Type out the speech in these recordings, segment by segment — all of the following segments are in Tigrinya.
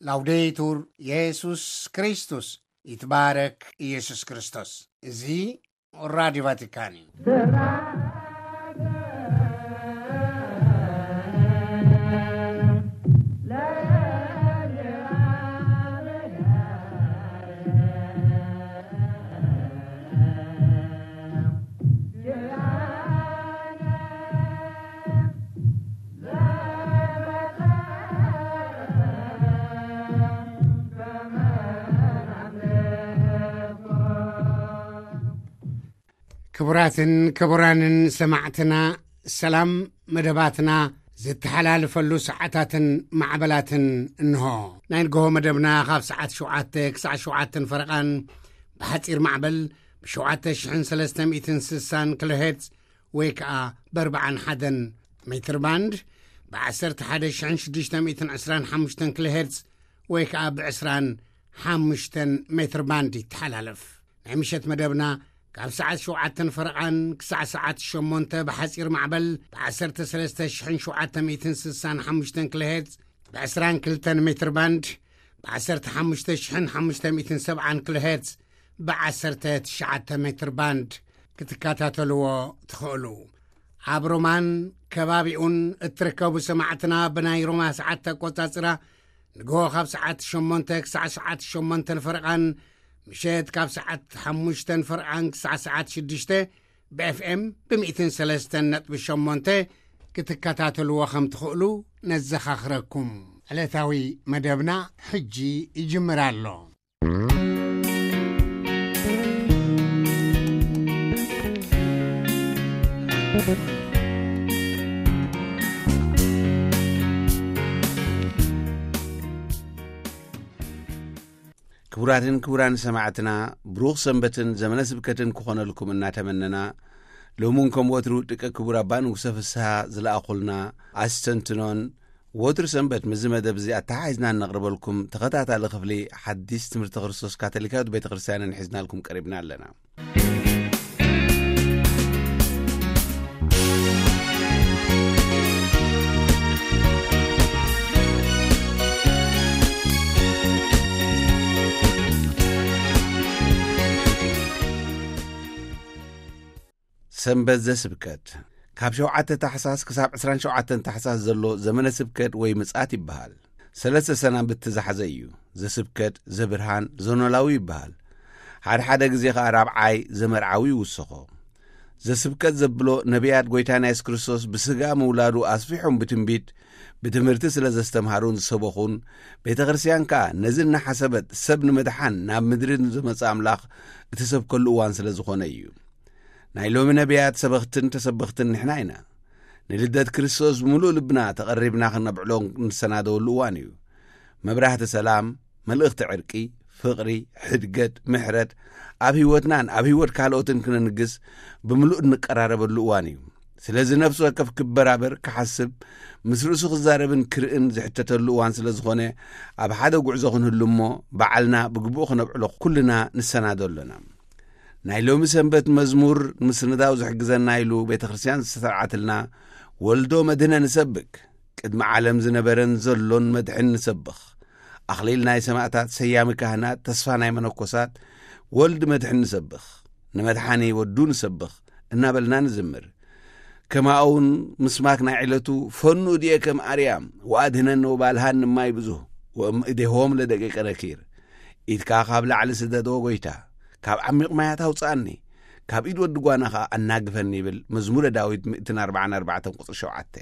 ላውዴቱር የሱስ ክርስቶስ፣ ይትባረክ ኢየሱስ ክርስቶስ። እዚ ራዲዮ ቫቲካን እዩ። ክቡራትን ክቡራንን ሰማዕትና፣ ሰላም። መደባትና ዝተሓላልፈሉ ሰዓታትን ማዕበላትን እንሆ። ናይ ንግሆ መደብና ካብ ሰዓት ሸውዓተ ክሳዕ ሸውዓተን ፈረቓን ብሓጺር ማዕበል ብ7360 ኪሎ ሄርትዝ ወይ ከኣ ብ41 ሜትር ባንድ፣ ብ11,625 ኪሎ ሄርትዝ ወይ ከኣ ብ25 ሜትር ባንድ ይተሓላለፍ። ናይ ምሸት መደብና ካብ ሰዓት ሸውዓተን ፈረቓን ክሳዕ ሰዓት ሸሞንተ ብሓጺር ማዕበል ብ13,765 ኪሎ ሄርትዝ፣ ብ22 ሜትር ባንድ፣ ብ15,570 ኪሎ ሄርትዝ፣ ብ19 ሜትር ባንድ ክትከታተልዎ ትኽእሉ። ኣብ ሮማን ከባቢኡን እትርከቡ ሰማዕትና፣ ብናይ ሮማ ሰዓት ኣቆጻጽራ ንግሆ ካብ ሰዓት ሸሞንተ ክሳዕ ሰዓት ሸሞንተን ፈረቓን፣ ምሸት ካብ ሰዓት ሓሙሽተን ፈረቓን ክሳዕ ሰዓት ሽዱሽተ ብ ኤፍ ኤም ብ103.8 ክትከታተልዎ ከም ትኽእሉ ነዘኻኽረኩም። ዕለታዊ መደብና ሕጂ ይጅምር ኣሎ። ክቡራትን ክቡራን ሰማዕትና፣ ብሩኽ ሰንበትን ዘመነ ስብከትን ክኾነልኩም እናተመነና፣ ሎሚ እውን ከም ወትሩ ደቂ ክቡር ኣባ ንጉሰ ፍስሃ ዝለኣኹልና ኣስተንትኖን፣ ወትሩ ሰንበት ምስዚ መደብ እዚ ኣተሓሒዝና እነቕርበልኩም ተኸታታሊ ክፍሊ ሓዲስ ትምህርቲ ክርስቶስ ካቶሊካዊት ቤተ ክርስቲያንን ሒዝናልኩም ቀሪብና ኣለና። ሰንበት ዘስብከት። ካብ ሸውዓተ ታሕሳስ ክሳብ ዕስራን ሸውዓተን ታሕሳስ ዘሎ ዘመነ ስብከት ወይ ምጽኣት ይበሃል። ሰለስተ ሰናብቲ ዝሓዘ እዩ። ዘስብከት፣ ዘብርሃን፣ ዘኖላዊ ይበሃል። ሓደ ሓደ ግዜ ኸኣ ራብዓይ፣ ዘመርዓዊ ይውስኾ። ዘስብከት ዘብሎ፣ ነቢያት ጐይታና የሱስ ክርስቶስ ብስጋ ምውላዱ ኣስፊሖም ብትንቢት፣ ብትምህርቲ ስለ ዘስተምሃሩን ዝሰበኹን፣ ቤተ ክርስቲያን ከኣ ነዚ እናሓሰበት ሰብ ንምድሓን ናብ ምድሪ ንዝመጽእ ኣምላኽ እትሰብከሉ እዋን ስለ ዝኾነ እዩ። ናይ ሎሚ ነቢያት ሰበኽትን ተሰበኽትን ንሕና ኢና። ንልደት ክርስቶስ ብምሉእ ልብና ተቐሪብና ክነብዕሎ ንሰናደወሉ እዋን እዩ። መብራህቲ ሰላም፣ መልእኽቲ ዕርቂ፣ ፍቕሪ፣ ሕድገት፣ ምሕረት ኣብ ህይወትናን ኣብ ህይወት ካልኦትን ክነንግስ ብምሉእ እንቀራረበሉ እዋን እዩ። ስለዚ ነፍሲ ወከፍ ክበራበር፣ ክሓስብ፣ ምስ ርእሱ ክዛረብን ክርእን ዝሕተተሉ እዋን ስለ ዝኾነ፣ ኣብ ሓደ ጉዕዞ ክንህሉ እሞ፣ ባዕልና ብግቡእ ክነብዕሎ ኩልና ንሰናዶ ኣሎና። ናይ ሎሚ ሰንበት መዝሙር ምስንዳው ዝሕግዘና ኢሉ ቤተ ክርስቲያን ዝተሰርዓትልና፣ ወልዶ መድህነ ንሰብክ፣ ቅድሚ ዓለም ዝነበረን ዘሎን መድሕን ንሰብኽ፣ ኣኽሊል ናይ ሰማዕታት፣ ሰያሚ ካህናት፣ ተስፋ ናይ መነኮሳት፣ ወልድ መድሕን ንሰብኽ፣ ንመድሓኒ ወዱ ንሰብኽ እናበልና ንዝምር። ከማኡውን ምስማክ ናይ ዕለቱ፣ ፈኑ እድየ ከም ኣርያም ወኣድህነኒ ወባልሃኒ ማይ ብዙህ ወእምእዴሆም ለደቂቀ ነኪር፣ ኢድካ ካብ ላዕሊ ስደዶ ጐይታ፣ ካብ ዓሚቕ ማያት ኣውጽኣኒ፣ ካብ ኢድ ወዲ ጓና ኸኣ ኣናግፈኒ ይብል መዝሙረ ዳዊት ሚእትን ኣርባዓን ኣርባዕተን ቁጽሪ ሸውዓተ።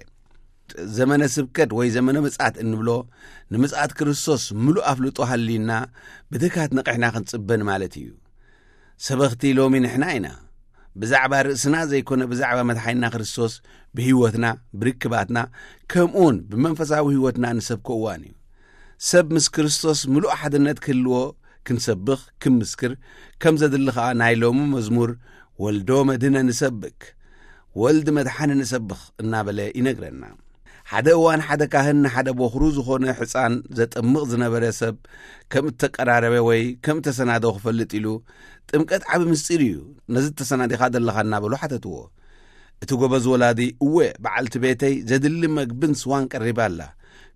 ዘመነ ስብከት ወይ ዘመነ ምጽኣት እንብሎ፣ ንምጽኣት ክርስቶስ ምሉእ ኣፍልጦ ሃልዩና ብትግሃት ነቒሕና ክንጽበ ንማለት እዩ። ሰበኽቲ ሎሚ ንሕና ኢና። ብዛዕባ ርእስና ዘይኮነ፣ ብዛዕባ መድሓኒና ክርስቶስ ብህይወትና፣ ብርክባትና፣ ከምኡውን ብመንፈሳዊ ህይወትና ንሰብኮ እዋን እዩ። ሰብ ምስ ክርስቶስ ምሉእ ሓድነት ክህልዎ ክንሰብኽ፣ ክንምስክር ከም ዘድሊ ኸኣ ናይ ሎሚ መዝሙር፣ "ወልዶ መድህነ ንሰብክ፣ ወልድ መድሓኒ ንሰብኽ" እናበለ ይነግረና። ሓደ እዋን ሓደ ካህን ንሓደ ቦኽሩ ዝኾነ ሕጻን ዘጠምቕ ዝነበረ ሰብ ከም እተቀራረበ ወይ ከም እተሰናደወ ክፈልጥ ኢሉ፣ "ጥምቀት ዓቢ ምስጢር እዩ፣ ነዚ እተሰናዲኻ ዘለኻ?" እናበሉ ሓተትዎ። እቲ ጎበዝ ወላዲ፣ "እወ፣ በዓልቲ ቤተይ ዘድሊ መግብን ስዋን ቀሪባ ኣላ፣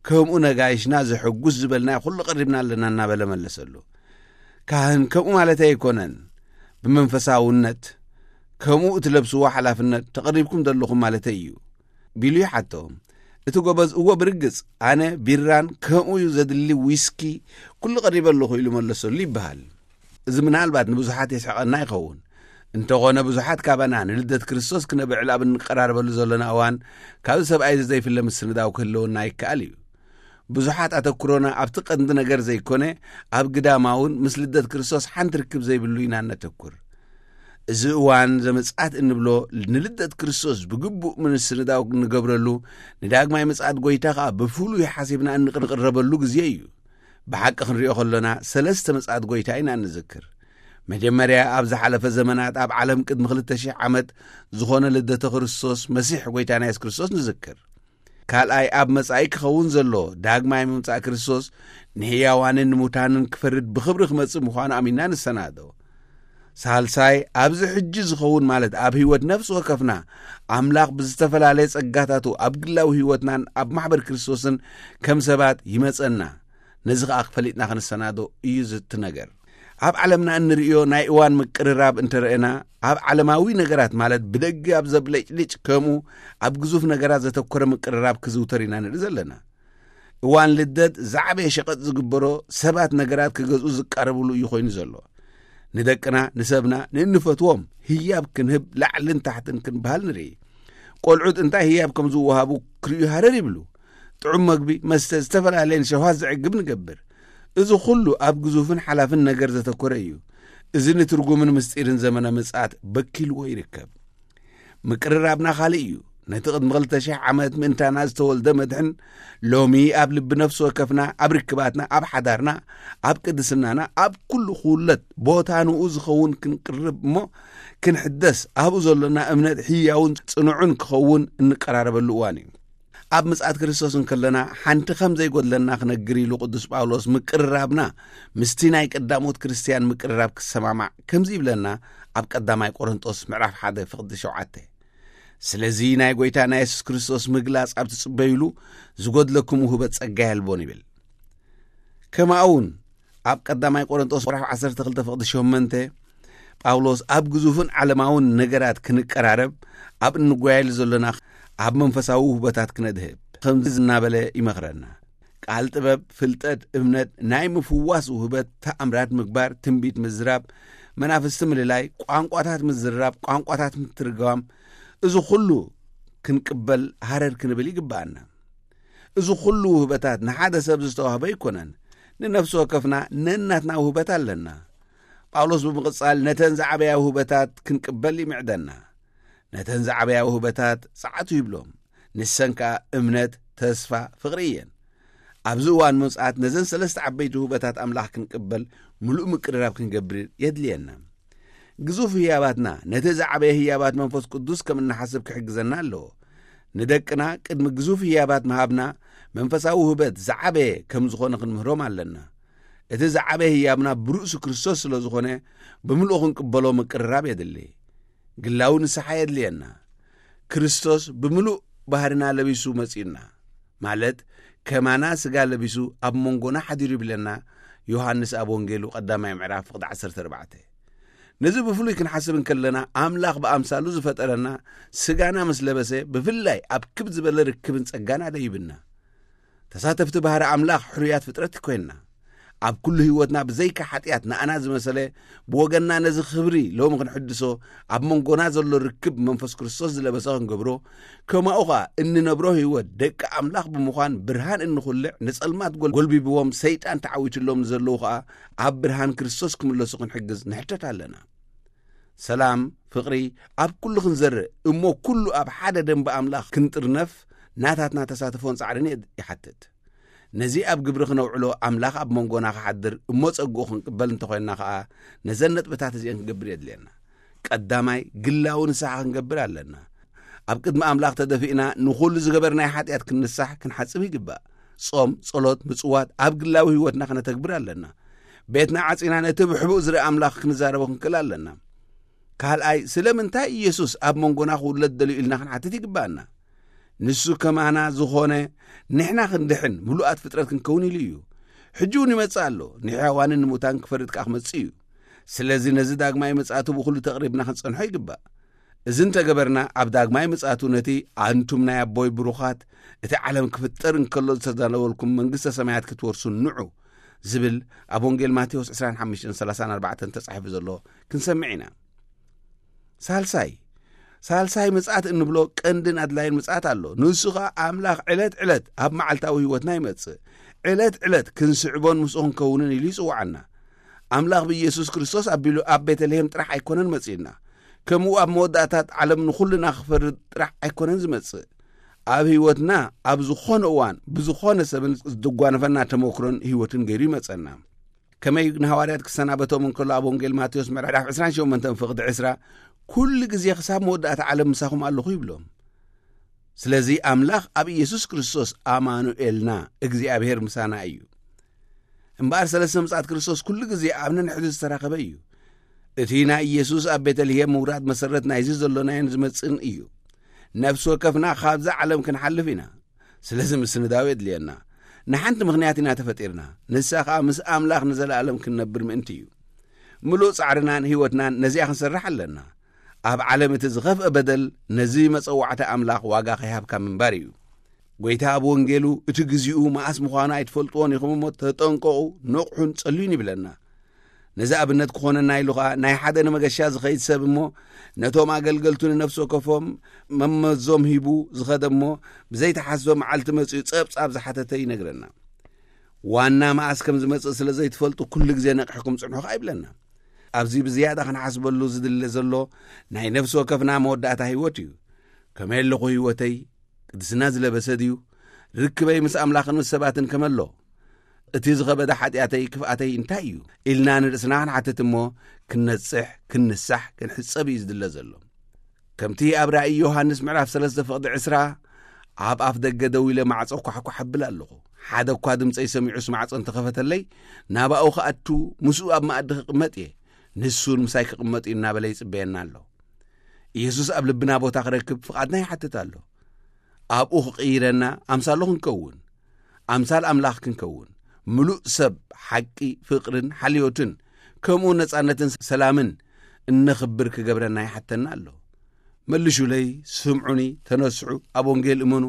ከምኡ ነጋይሽና ዘሐጉስ ዝበልናዮ ኩሉ ቀሪብና ኣለና እናበለ መለሰሉ። ካህን ከምኡ ማለተይ ኣይኮነን። ብመንፈሳውነት ከምኡ እትለብስዎ ሓላፍነት ተቐሪብኩም ዘለኹም ማለተይ እዩ ቢሉ ይሓቶም። እቲ ጎበዝ እዎ ብርግጽ ኣነ ቢራን ከምኡ እዩ ዘድሊ ዊስኪ ኩሉ ቀሪበ ኣለኹ ኢሉ መለሰሉ ይበሃል። እዚ ምናልባት ንብዙሓት የስሕቐና ይኸውን። እንተኾነ ብዙሓት ካባና ንልደት ክርስቶስ ክነብዕል ኣብ እንቀራረበሉ ዘለና እዋን ካብዚ ሰብኣይ እዚ ዘይፍለ ምስንዳው ክህልወና ይከኣል እዩ። ብዙሓት ኣተኩሮና ኣብቲ ቀንዲ ነገር ዘይኮነ ኣብ ግዳማውን ምስ ልደት ክርስቶስ ሓንቲ ርክብ ዘይብሉ ኢና እነተኩር። እዚ እዋን ዘመጽኣት እንብሎ ንልደት ክርስቶስ ብግቡእ ምስንዳው እንገብረሉ፣ ንዳግማይ ምጽኣት ጎይታ ኸኣ ብፍሉይ ሓሲብና እንቕረበሉ ግዜ እዩ። ብሓቂ ክንሪኦ ከሎና ሰለስተ ምጽኣት ጎይታ ኢና እንዝክር። መጀመርያ ኣብ ዝሓለፈ ዘመናት ኣብ ዓለም ቅድሚ ክልተ ሽሕ ዓመት ዝኾነ ልደተ ክርስቶስ መሲሕ ጎይታና የሱስ ክርስቶስ ንዝክር። ካልኣይ ኣብ መጻኢ ክኸውን ዘሎ ዳግማይ ምምጻእ ክርስቶስ ንሕያዋንን ንሙታንን ክፈርድ ብኽብሪ ክመጽእ ምዃኑ ኣሚንና ንሰናዶ። ሳልሳይ ኣብዚ ሕጂ ዝኸውን ማለት ኣብ ህይወት ነፍሲ ወከፍና ኣምላኽ ብዝተፈላለየ ጸጋታቱ ኣብ ግላዊ ህይወትናን ኣብ ማሕበር ክርስቶስን ከም ሰባት ይመጸና። ነዚ ኸኣ ክፈሊጥና ክንሰናዶ እዩ ዝቲ ነገር። ኣብ ዓለምና እንርእዮ ናይ እዋን ምቅርራብ እንተረእና ኣብ ዓለማዊ ነገራት ማለት ብደገ ኣብ ዘብለጭልጭ ከምኡ ኣብ ግዙፍ ነገራት ዘተኮረ ምቅርራብ ክዝውተር ኢና ንርኢ ዘለና። እዋን ልደት ዝዓበየ ሸቐጥ ዝግበሮ ሰባት ነገራት ክገዝኡ ዝቃረብሉ እዩ ኮይኑ ዘሎ። ንደቅና ንሰብና ንእንፈትዎም ህያብ ክንህብ ላዕልን ታሕትን ክንበሃል ንርኢ። ቆልዑት እንታይ ህያብ ከም ዝወሃቡ ክርእዩ ሃረር ይብሉ። ጥዑም መግቢ መስተ ዝተፈላለየን ሸውሃት ዘዕግብ ንገብር። እዚ ኩሉ ኣብ ግዙፍን ሓላፍን ነገር ዘተኮረ እዩ። እዚ ንትርጉምን ምስጢርን ዘመነ ምጽኣት በኪልዎ ይርከብ። ምቅርራብና ካልእ እዩ። ነቲ ቅድሚ ክልተ ሽሕ ዓመት ምእንታና ዝተወልደ መድሕን ሎሚ ኣብ ልቢ ነፍሲ ወከፍና ኣብ ርክባትና ኣብ ሓዳርና ኣብ ቅድስናና ኣብ ኩሉ ክውለት ቦታ ንኡ ዝኸውን ክንቅርብ እሞ ክንሕደስ ኣብኡ ዘሎና እምነት ህያውን ጽኑዑን ክኸውን እንቀራረበሉ እዋን እዩ። ኣብ ምጽኣት ክርስቶስ እንከለና ሓንቲ ከም ዘይጎድለና ክነግር ኢሉ ቅዱስ ጳውሎስ ምቅርራብና ምስቲ ናይ ቀዳሞት ክርስትያን ምቅርራብ ክሰማማዕ ከምዚ ይብለና። ኣብ ቀዳማይ ቆሮንጦስ ምዕራፍ ሓደ ፍቕዲ ሸውዓተ ስለዚ ናይ ጎይታ ናይ የሱስ ክርስቶስ ምግላጽ ኣብ ትጽበዩሉ ዝጎድለኩም ውህበት ጸጋ የልቦን ይብል። ከማኡውን ኣብ ቀዳማይ ቆሮንጦስ ምዕራፍ ዓሰርተ ክልተ ፍቕዲ ሸመንተ ጳውሎስ ኣብ ግዙፍን ዓለማውን ነገራት ክንቀራረብ ኣብ እንጓየሉ ዘሎና ኣብ መንፈሳዊ ውህበታት ክነድህብ ከምዚ እናበለ ይመኽረና። ቃል ጥበብ ፍልጠት እምነት ናይ ምፍዋስ ውህበት ተኣምራት ምግባር ትንቢት ምዝራብ መናፍስቲ ምልላይ ቋንቋታት ምዝራብ ቋንቋታት ምትርጓም እዚ ኩሉ ክንቅበል ሃረር ክንብል ይግብኣና። እዚ ኩሉ ውህበታት ንሓደ ሰብ ዝተዋህበ ኣይኮነን። ንነፍሲ ወከፍና ነናትና ውህበት ኣለና። ጳውሎስ ብምቕጻል ነተን ዝዓበያ ውህበታት ክንቅበል ይምዕደና። ነተን ዝዓበያ ውህበታት ጸዓቱ ይብሎም። ንሰን ከኣ እምነት ተስፋ ፍቕሪ እየን። ኣብዚ እዋን ምምጽኣት ነዘን ሰለስተ ዓበይቲ ውህበታት ኣምላኽ ክንቅበል ምሉእ ምቅርራብ ክንገብር የድልየና። ግዙፍ ህያባትና ነቲ ዝዓበየ ህያባት መንፈስ ቅዱስ ከም እንሓስብ ክሕግዘና ኣለዎ። ንደቅና ቅድሚ ግዙፍ ህያባት ምሃብና መንፈሳዊ ውህበት ዝዓበየ ከም ዝኾነ ክንምህሮም ኣለና። እቲ ዝዓበየ ህያብና ብርእሱ ክርስቶስ ስለ ዝኾነ ብምልኡ ክንቅበሎ ምቅርራብ የድሊ። ግላዊ ንስሓ የድልየና። ክርስቶስ ብምሉእ ባህርና ለቢሱ መጺኡና ማለት ከማና ስጋ ለቢሱ ኣብ መንጎና ሓዲሩ ይብለና። ዮሃንስ ኣብ ወንጌሉ ቀዳማይ ምዕራፍ ፍቕዲ ዓሰርተ ኣርባዕተ። ነዚ ብፍሉይ ክንሓስብ እንከለና ኣምላኽ ብኣምሳሉ ዝፈጠረና ስጋና ምስ ለበሰ ብፍላይ ኣብ ክብ ዝበለ ርክብን ጸጋን ኣደይብና። ተሳተፍቲ ባህሪ ኣምላኽ ሕሩያት ፍጥረት ኮይንና ኣብ ኩሉ ህይወትና ብዘይካ ሓጢኣት ንኣና ዝመሰለ ብወገንና ነዚ ክብሪ ሎሚ ክንሕድሶ ኣብ መንጎና ዘሎ ርክብ መንፈስ ክርስቶስ ዝለበሰ ክንገብሮ ከማኡ ኸኣ እንነብሮ ህይወት ደቂ ኣምላኽ ብምዃን ብርሃን እንኹልዕ ንጸልማት ጎልቢብዎም ሰይጣን ተዓዊትሎም ዘለዉ ኸኣ ኣብ ብርሃን ክርስቶስ ክምለሱ ክንሕግዝ ንሕተት ኣለና። ሰላም ፍቕሪ ኣብ ኩሉ ክንዘርእ እሞ ኩሉ ኣብ ሓደ ደንቢ ኣምላኽ ክንጥርነፍ ናታትና ተሳትፎን ጻዕርን ይሓትት። ነዚ ኣብ ግብሪ ክነውዕሎ ኣምላኽ ኣብ መንጎና ክሓድር እሞ ጸግኡ ክንቅበል እንተኾይንና ኸኣ ነዘን ነጥብታት እዚአን ክንገብር የድልየና። ቀዳማይ ግላዊ ንስሓ ክንገብር ኣለና። ኣብ ቅድሚ ኣምላኽ ተደፊእና ንኹሉ ዝገበርናይ ሓጢኣት ክንንሳሕ ክንሓጽብ ይግባእ። ጾም ጸሎት ምጽዋት ኣብ ግላዊ ህይወትና ክነተግብር ኣለና። ቤትና ዓጺና ነቲ ብሕቡእ ዝርኢ ኣምላኽ ክንዛረቦ ክንክእል ኣለና። ካልኣይ ስለምንታይ ኢየሱስ ኣብ መንጎና ክውለድ ደልዩ ኢልና ክንሓትት ይግባኣና። ንሱ ከማና ዝኾነ፣ ንሕና ክንድሕን ምሉኣት ፍጥረት ክንከውን ኢሉ እዩ። ሕጂ እውን ይመጽእ ኣሎ፣ ንሕያዋንን ንሙታን ክፈርድ ከኣ ክመጽእ እዩ። ስለዚ ነዚ ዳግማይ ምጽኣቱ ብኹሉ ተቕሪብና ክንጸንሖ ይግባእ። እዚ እንተገበርና፣ ኣብ ዳግማይ ምጽኣቱ ነቲ "ኣንቱም ናይ ኣቦይ ብሩኻት፣ እቲ ዓለም ክፍጠር እንከሎ ዝተዳለወልኩም መንግስተ ሰማያት ክትወርሱ ንዑ" ዝብል ኣብ ወንጌል ማቴዎስ ዕስራን ሓሙሽተን ሰላሳን ኣርባዕተን ተጻሒፉ ዘሎ ክንሰምዕ ኢና። ሳልሳይ፣ ሳልሳይ ምጽኣት እንብሎ ቀንድን ኣድላይን ምጽኣት ኣሎ። ንሱ ኸኣ ኣምላኽ ዕለት ዕለት ኣብ መዓልታዊ ህይወትና ይመጽእ። ዕለት ዕለት ክንስዕቦን ምስኡ ክንከውንን ኢሉ ይጽውዓና። ኣምላኽ ብኢየሱስ ክርስቶስ ኣቢሉ ኣብ ቤተልሔም ጥራሕ ኣይኮነን መጺእና። ከምኡ ኣብ መወዳእታት ዓለም ንኹልና ክፈርድ ጥራሕ ኣይኮነን ዝመጽእ። ኣብ ህይወትና ኣብ ዝኾነ እዋን ብዝኾነ ሰብን ዝጓነፈና ተመክሮን ህይወትን ገይሩ ይመጸና። ከመይ ንሃዋርያት ክሰናበቶም እንከሎ ኣብ ወንጌል ማቴዎስ ምዕራፍ ዕስራን ሸሞንተን ፍቕዲ ዕስራ፣ "ኩሉ ግዜ ክሳብ መወዳእታ ዓለም ምሳኹም ኣለኹ" ይብሎም። ስለዚ ኣምላኽ ኣብ ኢየሱስ ክርስቶስ ኣማኑኤልና፣ እግዚኣብሔር ምሳና እዩ። እምበኣር ሰለስተ ምጽኣት ክርስቶስ ኩሉ ግዜ ኣብ ነንሕዱ ዝተራኸበ እዩ። እቲ ናይ ኢየሱስ ኣብ ቤተልሔም ምውራድ መሰረት ናይዚ ዘሎናዮን ዝመጽእን እዩ። ነፍሲ ወከፍና ካብዛ ዓለም ክንሓልፍ ኢና። ስለዚ ምስንዳው የድልየና። ንሓንቲ ምኽንያት ኢና ተፈጢርና። ንሳ ኸኣ ምስ ኣምላኽ ንዘለኣለም ክንነብር ምእንቲ እዩ። ምሉእ ጻዕርናን ህይወትናን ነዚኣ ክንሰርሕ ኣለና። ኣብ ዓለም እቲ ዝኸፍአ በደል ነዚ መጸዋዕታ ኣምላኽ ዋጋ ከይሃብካ ምንባር እዩ። ጐይታ ኣብ ወንጌሉ እቲ ግዚኡ መኣስ ምዃኑ ኣይትፈልጥዎን ኢኹም እሞ ተጠንቀቑ፣ ንቕሑን ጸልዩን ይብለና። ነዚ ኣብነት ክኾነና ኢሉ ኸኣ ናይ ሓደ ንመገሻ ዝኸይድ ሰብ እሞ ነቶም ኣገልገልቱ ንነፍሲ ወከፎም መመዞም ሂቡ ዝኸደ እሞ ብዘይተሓስበ መዓልቲ መጺኡ ጸብጻብ ዝሓተተ ይነግረና። ዋና መኣስ ከም ዝመጽእ ስለ ዘይትፈልጡ ኩሉ ግዜ ነቒሕኩም ጽንሑ ኸኣ ይብለና። ኣብዚ ብዝያዳ ክንሓስበሉ ዝድለ ዘሎ ናይ ነፍሲ ወከፍና መወዳእታ ህይወት እዩ። ከመይ ኣለኹ ህይወተይ? ቅድስና ዝለበሰ ድዩ? ርክበይ ምስ ኣምላኽን ምስ ሰባትን ከመሎ? እቲ ዝኸበደ ሓጢኣተይ ክፍኣተይ እንታይ እዩ? ኢልና ንርእስና ክንሓትት እሞ ክንነጽሕ፣ ክንንሳሕ፣ ክንሕጸብ እዩ ዝድለ ዘሎ። ከምቲ ኣብ ራእይ ዮሃንስ ምዕራፍ ሰለስተ ፍቕዲ ዕስራ፣ "ኣብ ኣፍ ደገ ደው ኢለ ማዕጾ ኳሕኳሕ እብል ኣለኹ። ሓደ እኳ ድምጸይ ሰሚዑስ ማዕጾ እንተኸፈተለይ፣ ናባኡ ክኣቱ፣ ምስኡ ኣብ መኣዲ ክቕመጥ እየ። ንሱን ምሳይ ክቕመጥ እዩ" እናበለ ይጽበየና ኣሎ። ኢየሱስ ኣብ ልብና ቦታ ክረክብ ፍቓድና ይሓትት ኣሎ። ኣብኡ ክቕይረና፣ ኣምሳሉ ክንከውን፣ ኣምሳል ኣምላኽ ክንከውን፣ ምሉእ ሰብ፣ ሓቂ፣ ፍቕርን ሓልዮትን፣ ከምኡ ነጻነትን ሰላምን እነኽብር ክገብረና ይሓተና ኣሎ። "መልሹለይ፣ ስምዑኒ፣ ተነስሑ፣ ኣብ ወንጌል እመኑ"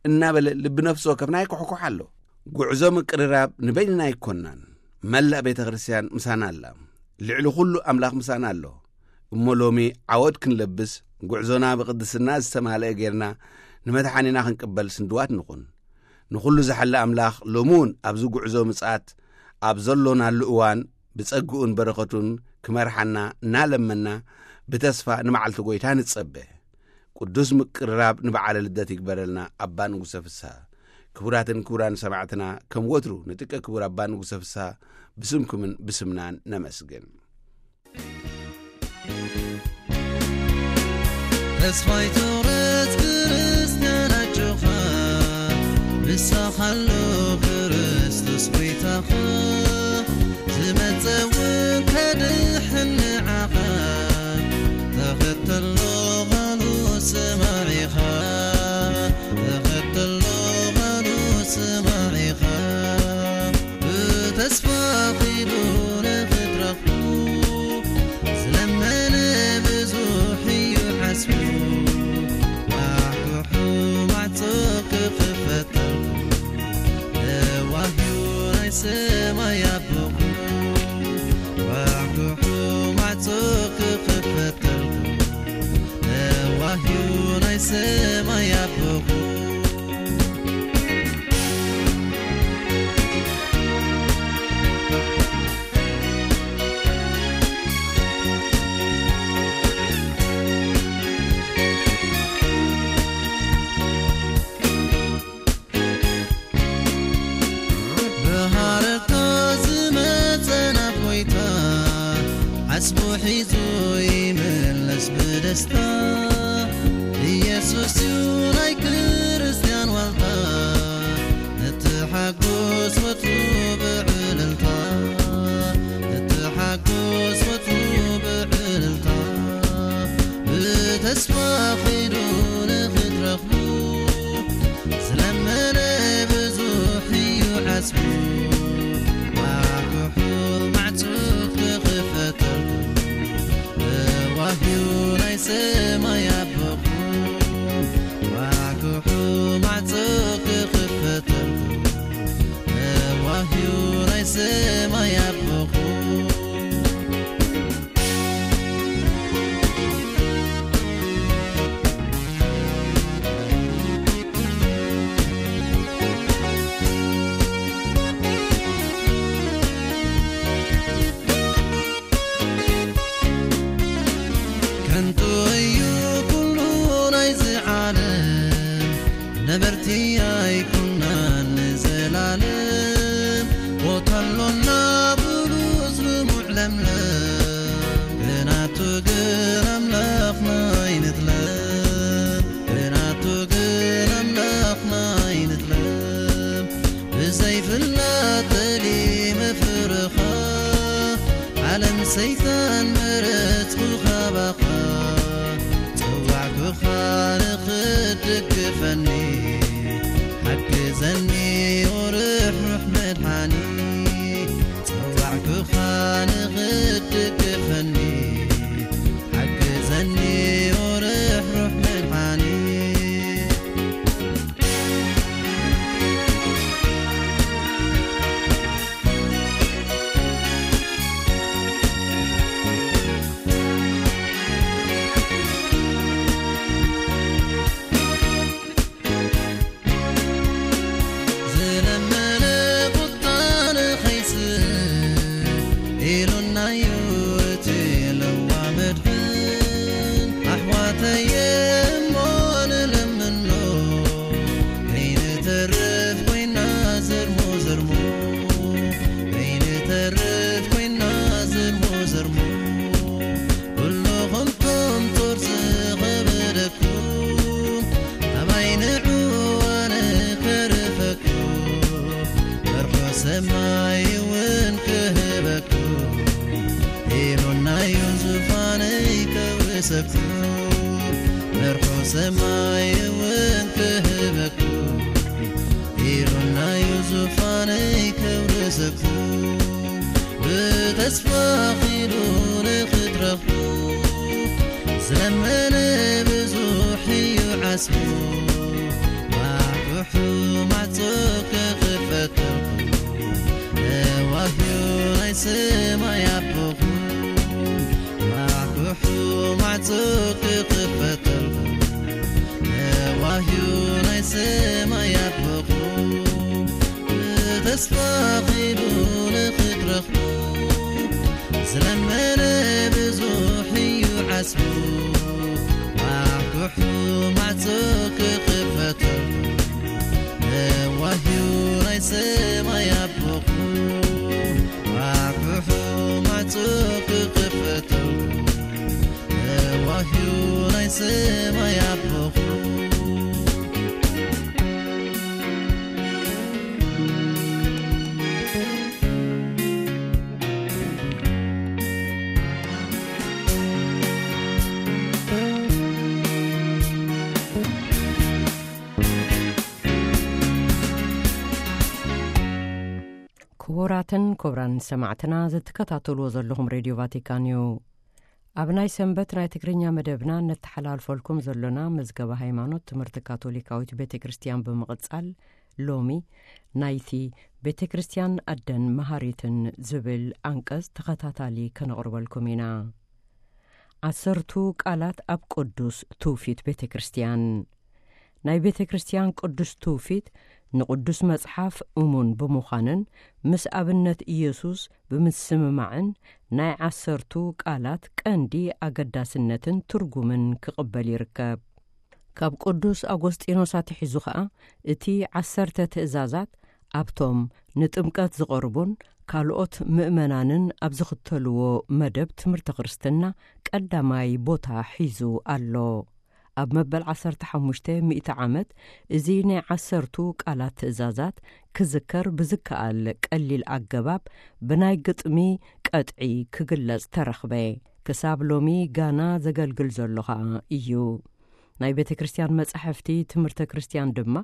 እናበለ ልቢ ነፍሲ ወከፍና ይኩሕኩሕ ኣሎ። ጉዕዞ ምቅርራብ ንበይንና ኣይኮናን። መላእ ቤተ ክርስቲያን ምሳና ኣላ። ልዕሊ ኩሉ ኣምላኽ ምሳና ኣሎ። እሞ ሎሚ ዓወት ክንለብስ፣ ጉዕዞና ብቅድስና ዝተማልአ ጌርና ንመድሓኒና ክንቅበል ስንድዋት ንኹን። ንኹሉ ዝሓለ ኣምላኽ ሎሚ እውን ኣብዚ ጉዕዞ ምጽኣት ኣብ ዘሎናሉ እዋን ብጸግኡን በረኸቱን ክመርሓና እናለመና ብተስፋ ንመዓልቲ ጐይታ ንጸበ። ቅዱስ ምቅርራብ ንበዓለ ልደት ይግበረልና ኣባ ንጉሰ ፍስሃ። ክቡራትን ክቡራን ሰማዕትና፣ ከም ወትሩ ንጥቀ ክቡር ኣባ ንጉሰ ፍስሃ ብስምኩምን ብስምናን ነመስግን። ተስፋይ ትቑረጽ ክርስትያን ኣጆኻ፣ ንስኻ ኣሎ ክርስቶስ ጐይታኻ፣ ዝመጸ እውን ከድሕን ንዓኻ። ተኸተሎ ቓሉ ስማዕ ኢኻ፣ ተኸተሎ ቓሉ ስማዕ ኢኻ። ብተስፋ ኺዱ ንኽትረኽቡ፣ ዝለመነ ብዙሕ እዩ ዓስቡ። ኳሕኩሑ ማዕጾ ክኽፈተልኩ፣ ለዋህ እዩ ናይ ሰማይ ኣቦኹም። ኳሕኩሑ ማዕጾ ክኽፈተልኩ፣ ለዋህ እዩ ናይ ሰማይ ኣቦኹም። ብሃረርታ ናብሉስ ልሙዕ ለምለም፣ ብናቱ ግን ኣምላኽና ኣይንጥለም፣ ብናቱ ግን ኣምላኽና ኣይንጥለም። ብዘይፍላጥ ጠሊ መፍርኻ፣ ዓለም ሰይጣን መረጽኩ ካባኻ፣ ጸዋዕኩኻ ንኽትድግፈኒ፣ ሓግዘኒ ወርሕሩሕ መድሓኒ። ጸዋዕኩኻ ንኽትድግፈኒ፣ ሓግዘኒ ወርሕሩሕ መድሓኒ። ዝለመነ ቁጣ ንኸይስእ ኢሉናዩ እቲ ለዋ መድሕን። ኣሕዋተየ እሞ ንለምኖ፣ ከይንተርፍ ኮይና ዘርሞ ዘርሞ፣ ከይንተርፍ ኮይና ዘርሞ ዘርሞ። ኩልኹም ቶም ጾር ዝኸበደኩም፣ ኣባይ ንዑ ኣነ ከርፈኩም፣ መርሖ ሰማይ እውን ክህበኩም፣ ኢሉናዩ ዙፋነይ ከውርሰኩም፣ መርሖ ሰማይ እውን ክህበኩም፣ ኢሉናዩ ዙፋነይ ከውርሰኩም። ብተስፋ ኺዱ ንኽትረኽቡ፣ ዝለመነ ብዙሕ እዩ ዓስቡ። ኳሕኩሑ ማዕጾ ክኽፈተልኩም፣ ነዋህዩ ናይ ሰማይ ኣቦኹም። ኳሕኩሑ ማዕጾ ክኽፈተልኩም፣ ነዋህዩ ናይ ሰማይ ኣቦኹም። ብተስፋ ኺዱ ንኽትረኽቡ፣ ዝለመነ ብዙሕ እዩ ዓስቡ። ኳሕኩሑ ማዕጾ ክኽፈተልኩም፣ ነዋህዩ ናይ ሰማይ ኣቦኹም። ኳሕኩሑ ማዕጾ ክኽፈተልኩም፣ ነዋህዩ ናይ ሰማይ ኣቦኹም። ክቡራትን ክቡራን ሰማዕትና፣ ዝትከታተልዎ ዘለኹም ሬድዮ ቫቲካን እዩ። ኣብ ናይ ሰንበት ናይ ትግርኛ መደብና ነተሓላልፈልኩም ዘሎና መዝገበ ሃይማኖት ትምህርቲ ካቶሊካዊት ቤተ ክርስቲያን ብምቕጻል፣ ሎሚ ናይቲ ቤተ ክርስቲያን ኣደን መሃሪትን ዝብል ኣንቀጽ ተኸታታሊ ከነቕርበልኩም ኢና። ዓሰርቱ ቃላት ኣብ ቅዱስ ትውፊት ቤተ ክርስቲያን። ናይ ቤተ ክርስቲያን ቅዱስ ትውፊት ንቅዱስ መጽሓፍ እሙን ብምዃንን ምስ ኣብነት ኢየሱስ ብምስምማዕን ናይ ዓሰርቱ ቃላት ቀንዲ ኣገዳስነትን ትርጉምን ክቕበል ይርከብ። ካብ ቅዱስ ኣጎስጢኖስ ኣትሒዙ ኸኣ እቲ ዓሰርተ ትእዛዛት ኣብቶም ንጥምቀት ዝቐርቡን ካልኦት ምእመናንን ኣብ ዝኽተልዎ መደብ ትምህርቲ ክርስትና ቀዳማይ ቦታ ሒዙ ኣሎ። ኣብ መበል ዓሰርተ ሓሙሽተ ሚእቲ ዓመት እዚ ናይ ዓሰርቱ ቃላት ትእዛዛት ክዝከር ብዝከኣል ቀሊል ኣገባብ ብናይ ግጥሚ ቀጥዒ ክግለጽ ተረኽበ። ክሳብ ሎሚ ጋና ዘገልግል ዘሎ ኸኣ እዩ። ናይ ቤተ ክርስቲያን መጻሕፍቲ ትምህርተ ክርስቲያን ድማ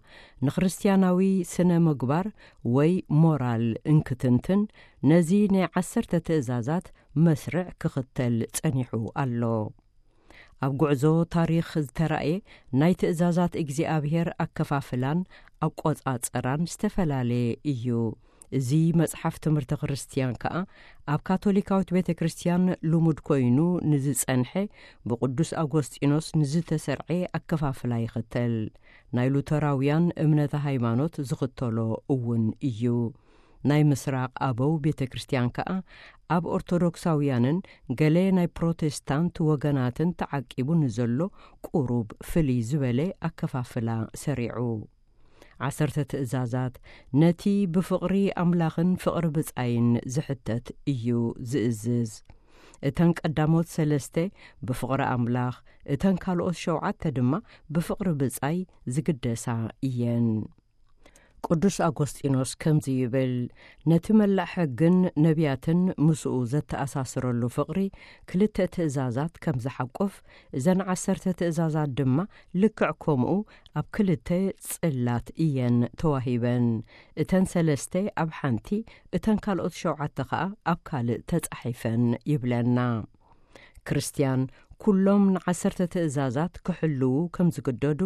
ንክርስትያናዊ ስነ ምግባር ወይ ሞራል እንክትንትን ነዚ ናይ ዓሰርተ ትእዛዛት መስርዕ ክኽተል ጸኒሑ ኣሎ። ኣብ ጉዕዞ ታሪኽ ዝተራእየ ናይ ትእዛዛት እግዚኣብሔር ኣከፋፍላን ኣቆጻጽራን ዝተፈላለየ እዩ። እዚ መጽሓፍ ትምህርተ ክርስትያን ከኣ ኣብ ካቶሊካዊት ቤተ ክርስትያን ልሙድ ኮይኑ ንዝጸንሐ ብቅዱስ ኣጎስጢኖስ ንዝተሰርዐ ኣከፋፍላ ይኽተል። ናይ ሉተራውያን እምነተ ሃይማኖት ዝኽተሎ እውን እዩ። ናይ ምስራቕ ኣበው ቤተ ክርስትያን ከኣ ኣብ ኦርቶዶክሳውያንን ገለ ናይ ፕሮቴስታንት ወገናትን ተዓቂቡ ንዘሎ ቁሩብ ፍልይ ዝበለ ኣከፋፍላ ሰሪዑ። ዓሰርተ ትእዛዛት ነቲ ብፍቕሪ ኣምላኽን ፍቕሪ ብጻይን ዝሕተት እዩ ዝእዝዝ። እተን ቀዳሞት ሰለስተ ብፍቕሪ ኣምላኽ፣ እተን ካልኦት ሸውዓተ ድማ ብፍቕሪ ብጻይ ዝግደሳ እየን። ቅዱስ ኣጎስጢኖስ ከምዚ ይብል፣ ነቲ መላእ ሕግን ነቢያትን ምስኡ ዘተኣሳስረሉ ፍቕሪ ክልተ ትእዛዛት ከም ዝሓቁፍ፣ እዘን ዓሰርተ ትእዛዛት ድማ ልክዕ ከምኡ ኣብ ክልተ ጽላት እየን ተዋሂበን። እተን ሰለስተ ኣብ ሓንቲ፣ እተን ካልኦት ሸውዓተ ኸኣ ኣብ ካልእ ተጻሒፈን ይብለና። ክርስትያን ኩሎም ንዓሰርተ ትእዛዛት ክሕልዉ ከም ዝግደዱ፣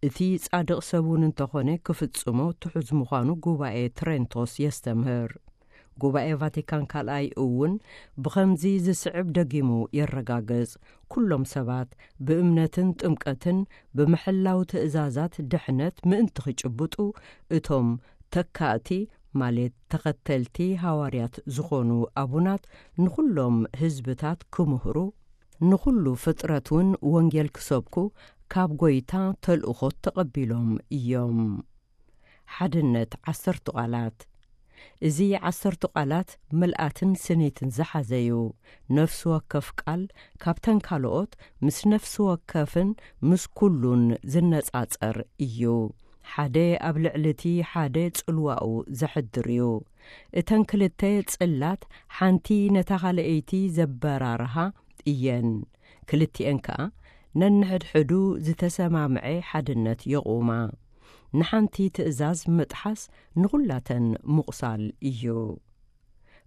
እቲ ጻድቕ ሰብ እውን እንተኾነ ክፍጽሞ ትሑዝ ምዃኑ ጉባኤ ትሬንቶስ የስተምህር። ጉባኤ ቫቲካን ካልኣይ እውን ብኸምዚ ዝስዕብ ደጊሙ የረጋግጽ፣ ኩሎም ሰባት ብእምነትን ጥምቀትን ብምሕላው ትእዛዛት ድሕነት ምእንቲ ክጭብጡ፣ እቶም ተካእቲ፣ ማለት ተኸተልቲ ሃዋርያት ዝኾኑ ኣቡናት፣ ንኹሎም ህዝብታት ክምህሩ፣ ንኹሉ ፍጥረት እውን ወንጌል ክሰብኩ ካብ ጐይታ ተልእኾ ተቐቢሎም እዮም። ሓድነት ዓሰርቱ ቃላት። እዚ ዓሰርቱ ቃላት ምልኣትን ስኒትን ዝሓዘ እዩ። ነፍሲ ወከፍ ቃል ካብተን ካልኦት ምስ ነፍሲ ወከፍን ምስ ኩሉን ዝነጻጸር እዩ። ሓደ ኣብ ልዕሊ እቲ ሓደ ጽልዋኡ ዘሕድር እዩ። እተን ክልተ ጽላት ሓንቲ ነታ ካልኣይቲ ዘበራርሃ እየን። ክልቲኤን ከኣ ነንሕድሕዱ ዝተሰማምዐ ሓድነት የቑማ። ንሓንቲ ትእዛዝ ምጥሓስ ንኹላተን ምቑሳል እዩ።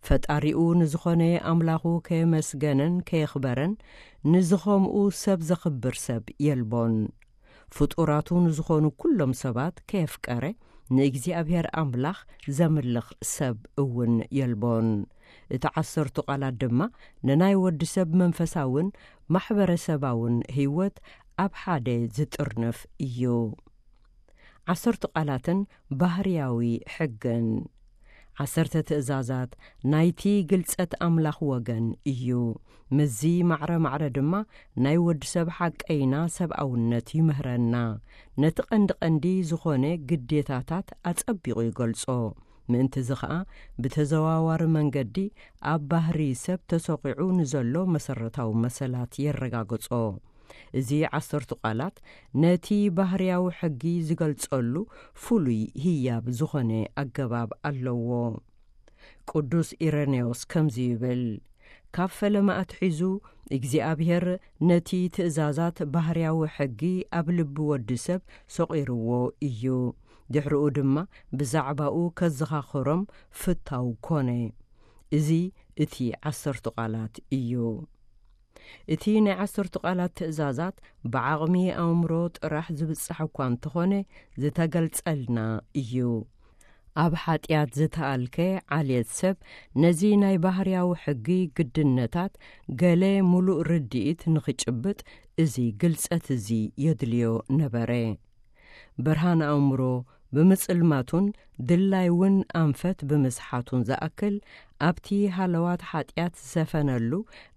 ፈጣሪኡ ንዝኾነ ኣምላኹ ከየመስገነን ከየኽበረን፣ ንዝኸምኡ ሰብ ዘኽብር ሰብ የልቦን። ፍጡራቱ ንዝኾኑ ኩሎም ሰባት ከየፍቀረ፣ ንእግዚኣብሔር ኣምላኽ ዘምልኽ ሰብ እውን የልቦን። እቲ ዓሰርቱ ቃላት ድማ ንናይ ወዲ ሰብ መንፈሳውን ማሕበረሰባውን ህይወት ኣብ ሓደ ዝጥርንፍ እዩ። ዓሰርቱ ቃላትን ባህርያዊ ሕግን። ዓሰርተ ትእዛዛት ናይቲ ግልጸት ኣምላኽ ወገን እዩ። ምስዚ ማዕረ ማዕረ ድማ ናይ ወዲ ሰብ ሓቀይና ሰብኣውነት ይምህረና። ነቲ ቀንዲ ቀንዲ ዝኾነ ግዴታታት ኣጸቢቑ ይገልጾ። ምእንቲ እዚ ኸኣ ብተዘዋዋሪ መንገዲ ኣብ ባህሪ ሰብ ተሰቒዑ ንዘሎ መሰረታዊ መሰላት የረጋግጾ። እዚ ዓሰርቱ ቃላት ነቲ ባህርያዊ ሕጊ ዝገልጸሉ ፍሉይ ህያብ ዝኾነ ኣገባብ ኣለዎ። ቅዱስ ኢረኔዎስ ከምዚ ይብል፣ ካብ ፈለማ ኣትሒዙ እግዚኣብሔር ነቲ ትእዛዛት ባህርያዊ ሕጊ ኣብ ልቢ ወዲ ሰብ ሰቒርዎ እዩ። ድሕሪኡ ድማ ብዛዕባኡ ከዘኻኽሮም ፍታው ኮነ። እዚ እቲ ዓሰርቱ ቃላት እዩ። እቲ ናይ ዓሰርቱ ቃላት ትእዛዛት ብዓቕሚ ኣእምሮ ጥራሕ ዝብጻሕ እኳ እንተኾነ፣ ዝተገልጸልና እዩ። ኣብ ሓጢኣት ዝተኣልከ ዓልየት ሰብ ነዚ ናይ ባህርያዊ ሕጊ ግድነታት ገለ ምሉእ ርድኢት ንኽጭብጥ፣ እዚ ግልጸት እዚ የድልዮ ነበረ። ብርሃን ኣእምሮ ብምጽልማቱን ድላይ እውን ኣንፈት ብምስሓቱን ዝኣክል፣ ኣብቲ ሃለዋት ሓጢኣት ዝሰፈነሉ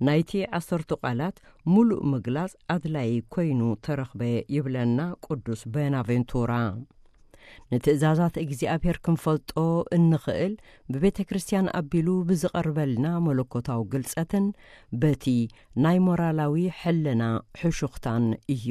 ናይቲ ዓሰርቱ ቃላት ምሉእ ምግላጽ ኣድላዪ ኮይኑ ተረኽበ ይብለና ቅዱስ ቦናቬንቱራ። ንትእዛዛት እግዚኣብሔር ክንፈልጦ እንኽእል ብቤተ ክርስቲያን ኣቢሉ ብዝቐርበልና መለኮታዊ ግልጸትን በቲ ናይ ሞራላዊ ሕልና ሕሹኽታን እዩ።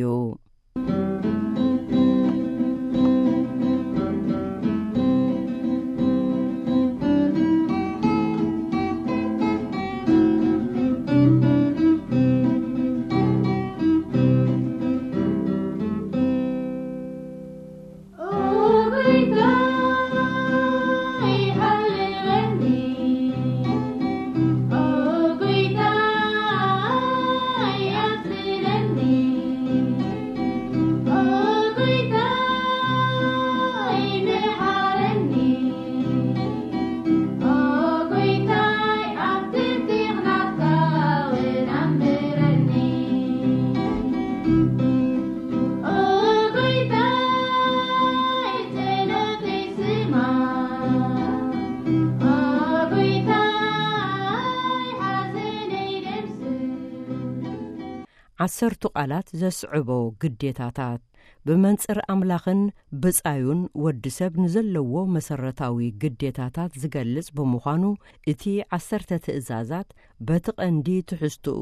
ዓሰርቱ ቃላት ዘስዕቦ ግዴታታት። ብመንጽር ኣምላኽን ብጻዩን ወዲ ሰብ ንዘለዎ መሰረታዊ ግዴታታት ዝገልጽ ብምዃኑ፣ እቲ ዓሰርተ ትእዛዛት በቲ ቀንዲ ትሕዝትኡ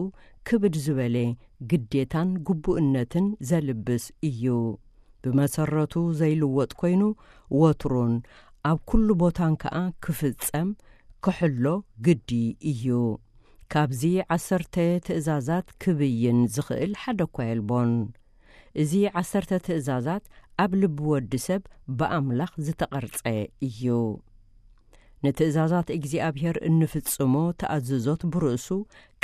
ክብድ ዝበለ ግዴታን ግቡእነትን ዘልብስ እዩ። ብመሰረቱ ዘይልወጥ ኮይኑ፣ ወትሩን ኣብ ኩሉ ቦታን ከኣ ክፍጸም ክሕሎ ግዲ እዩ። ካብዚ ዓሰርተ ትእዛዛት ክብይን ዝኽእል ሓደ እኳ የልቦን። እዚ ዓሰርተ ትእዛዛት ኣብ ልቢ ወዲ ሰብ ብኣምላኽ ዝተቐርጸ እዩ። ንትእዛዛት እግዚኣብሔር እንፍጽሞ ተኣዝዞት ብርእሱ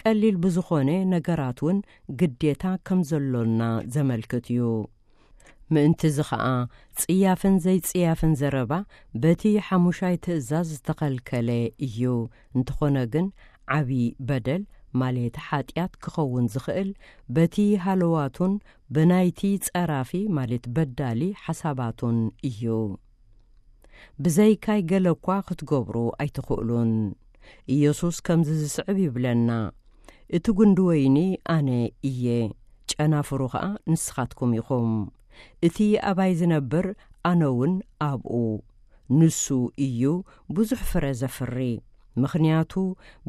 ቀሊል ብዝኾነ ነገራት እውን ግዴታ ከም ዘሎና ዘመልክት እዩ። ምእንቲ እዚ ኸኣ ጽያፍን ዘይጽያፍን ዘረባ በቲ ሓሙሻይ ትእዛዝ ዝተኸልከለ እዩ። እንተኾነ ግን ዓቢ በደል ማለት ሓጢኣት ክኸውን ዝኽእል በቲ ሃለዋቱን ብናይቲ ጸራፊ ማለት በዳሊ ሓሳባቱን እዩ። ብዘይካይ ገለ እኳ ክትገብሩ ኣይትኽእሉን። ኢየሱስ ከምዚ ዝስዕብ ይብለና፣ እቲ ጉንዲ ወይኒ ኣነ እየ፣ ጨናፍሩ ኸኣ ንስኻትኩም ኢኹም። እቲ ኣባይ ዝነብር ኣነ እውን ኣብኡ። ንሱ እዩ ብዙሕ ፍረ ዘፍሪ፣ ምኽንያቱ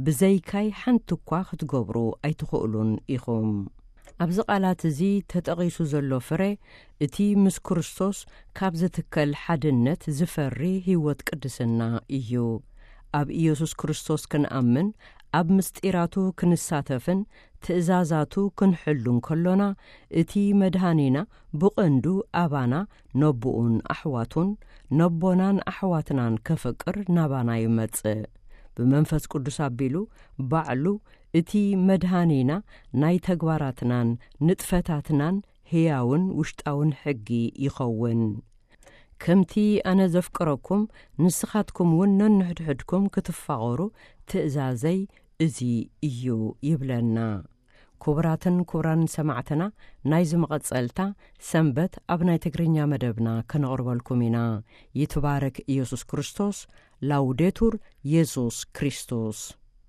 ብዘይካይ ሓንቲ እኳ ክትገብሩ ኣይትኽእሉን ኢኹም። ኣብዚ ቃላት እዚ ተጠቒሱ ዘሎ ፍረ፣ እቲ ምስ ክርስቶስ ካብ ዝትከል ሓድነት ዝፈሪ ህይወት ቅድስና እዩ። ኣብ ኢየሱስ ክርስቶስ ክንኣምን፣ ኣብ ምስጢራቱ ክንሳተፍን ትእዛዛቱ ክንሕሉን ከሎና፣ እቲ መድሃኒና ብቐንዱ ኣባና ነቦኡን ኣሕዋቱን፣ ነቦናን ኣሕዋትናን ከፍቅር ናባና ይመጽእ። ብመንፈስ ቅዱስ ኣቢሉ ባዕሉ እቲ መድሃኒና ናይ ተግባራትናን ንጥፈታትናን ህያውን ውሽጣውን ሕጊ ይኸውን። ከምቲ ኣነ ዘፍቅረኩም ንስኻትኩም እውን ነንሕድሕድኩም ክትፋቐሩ ትእዛዘይ እዚ እዩ ይብለና። ክቡራትን ክቡራን ሰማዕትና፣ ናይዚ መቐጸልታ ሰንበት ኣብ ናይ ትግርኛ መደብና ከነቕርበልኩም ኢና። ይትባረክ ኢየሱስ ክርስቶስ። ላውዴቱር የሱስ ክርስቶስ።